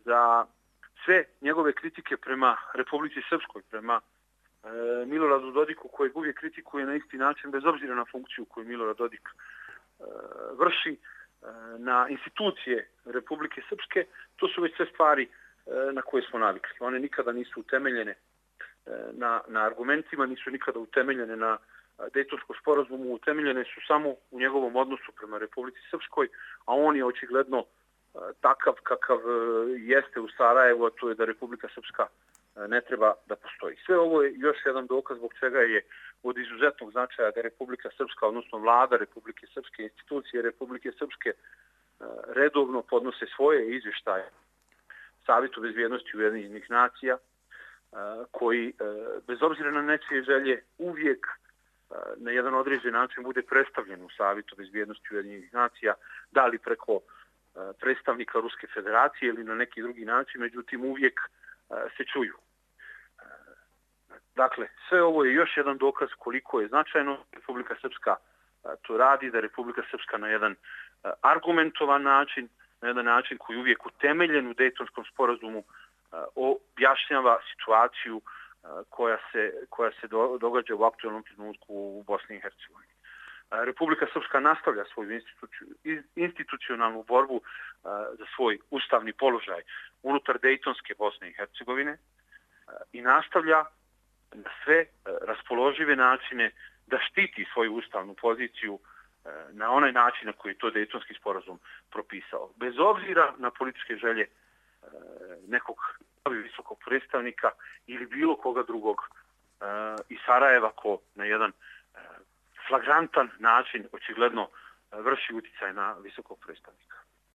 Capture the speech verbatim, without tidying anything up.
za sve njegove kritike prema Republici Srpskoj, prema Miloradu Dodiku, kojeg uvijek kritikuje na isti način, bez obzira na funkciju koju Milorad Dodik vrši, na institucije Republike Srpske, to su već sve stvari na koje smo navikli. One nikada nisu utemeljene na, na argumentima, nisu nikada utemeljene na Dejtonskom sporazumu, utemeljene su samo u njegovom odnosu prema Republici Srpskoj, a on je očigledno takav kakav jeste u Sarajevu, a to je da Republika Srpska ne treba da postoji. Sve ovo je još jedan dokaz zbog čega je od izuzetnog značaja da Republika Srpska, odnosno vlada Republike Srpske, institucije Republike Srpske redovno podnose svoje izvještaje Savetu bezbjednosti Ujedinjenih nacija, koji bez obzira na nečije želje uvijek na jedan određen način bude predstavljen u Savetu bezbjednosti Ujedinjenih nacija, da li preko predstavnika Ruske federacije ili na neki drugi način, međutim uvijek se čuju. Dakle, sve ovo je još jedan dokaz koliko je značajno Republika Srpska to radi, da Republika Srpska na jedan argumentovan način, na jedan način koji je uvijek utemeljen u Dejtonskom sporazumu, objašnjava situaciju koja se, koja se događa u aktualnom trenutku u Bosni i Hercegovini. Republika Srpska nastavlja svoju institucionalnu borbu za svoj ustavni položaj unutar Dejtonske Bosne i Hercegovine i nastavlja na sve raspoložive načine da štiti svoju ustavnu poziciju na onaj način na koji je to Dejtonski sporazum propisao. Bez obzira na političke želje nekog visokog predstavnika ili bilo koga drugog iz Sarajeva ko na jedan flagrantan način očigledno vrši uticaj na visokog predstavnika.